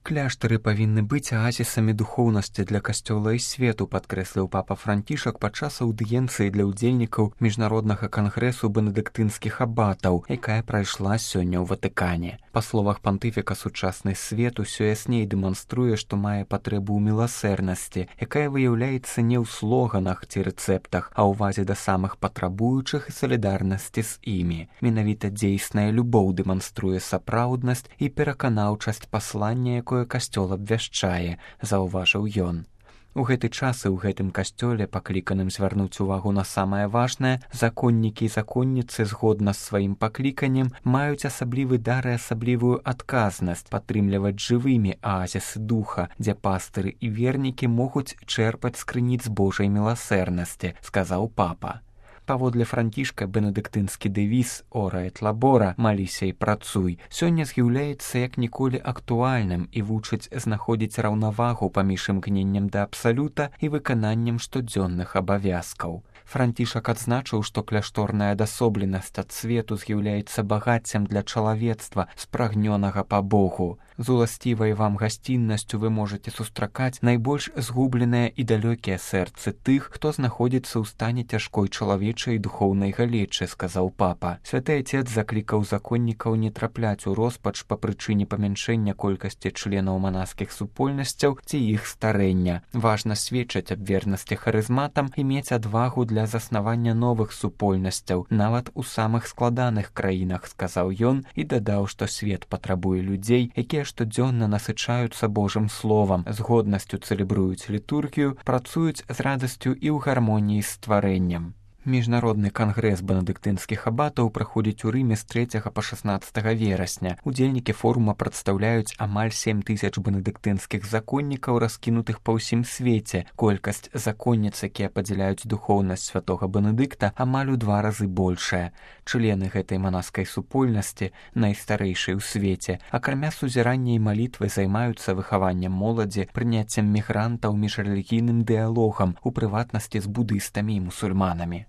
Кляштары павінны быць аазісамі духоўнасці для касцёла і свету, падкрэсліў папа Францішак падчас аўдыенцыі для ўдзельнікаў міжнароднага кангрэсу бенедыктынскіх абатаў, якая прайшла сёння ў Ватыкане. Па словах пантыфіка, сучасны свет усё ясней дэманструе, што мае патрэбу ў міласэрнасці, якая выяўляецца не ў слоганах ці рэцэптах, а ўвазе да самых патрабуючых і салідарнасці з імі. Менавіта дзейсная любоў дэманструе сапраўднасць і пераканаўчасць паслання, якое касцёл абвяшчае, заўважыў ён. У гэты час і ў гэтым касцёле, пакліканым звярнуць увагу на самае важнае, законнікі і законніцы згодна з сваім пакліканнем маюць асаблівы дар і асаблівую адказнасць падтрымліваць жывымі аазісы духа, дзе пастыры і вернікі могуць чэрпаць з крыніц Божай міласэрнасці, сказаў папа. Паводле Францішка, бенедыктынскі дэвіз «Ора эт лабора» «Маліся і працуй» сёння з'яўляецца як ніколі актуальным і вучыць знаходзіць раўнавагу паміж імкненнем да абсалюта і выкананнем штодзённых абавязкаў. Францішак адзначыў, што кляшторная адасобленасць ад свету з'яўляецца багаццем для чалавецтва, спрагнёнага па Богу. З уласцівай вам гасціннасцю вы можаце сустракаць найбольш згубленыя і далёкія сэрцы тых, хто знаходзіцца ў стане цяжкой чалавечай і духоўнай галечы, сказаў папа. Святы Отец заклікаў законнікаў не трапляць у роспач па прычыне памяншэння колькасці членаў манаскіх супольнасцяў ці іх старэння. Важна сведчыць аб вернасці харызматам і мець адвагу для заснавання новых супольнасцяў, нават у самых складаных краінах, сказаў ён і дадаў, што свет патрабуе людзей, якія штодзённа насычаюцца Божым словам, з годнасцю цэлебруюць літургію, працуюць з радасцю і ў гармоніі з стварэннем. Міжнародны кангрэс бенедыктынскіх абатаў праходзіць у Рыме з 3 па 16 верасня. Удзельнікі форума прадстаўляюць амаль 7 тысяч бенедыктынскіх законнікаў, раскінутых па ўсім свеце. Колькасць законніц, якія падзяляюць духоўнасць святога Бенедыкта, амаль у 2 разы большая. Члены гэтай манаскай супольнасці, найстарэйшай у свеце, акрамя сузірання і малітвы займаюцца выхаваннем моладзі, прыняццем мігрантаў, міжрэлігійным дыялогам, у прыватнасці з будыстамі і мусульманамі.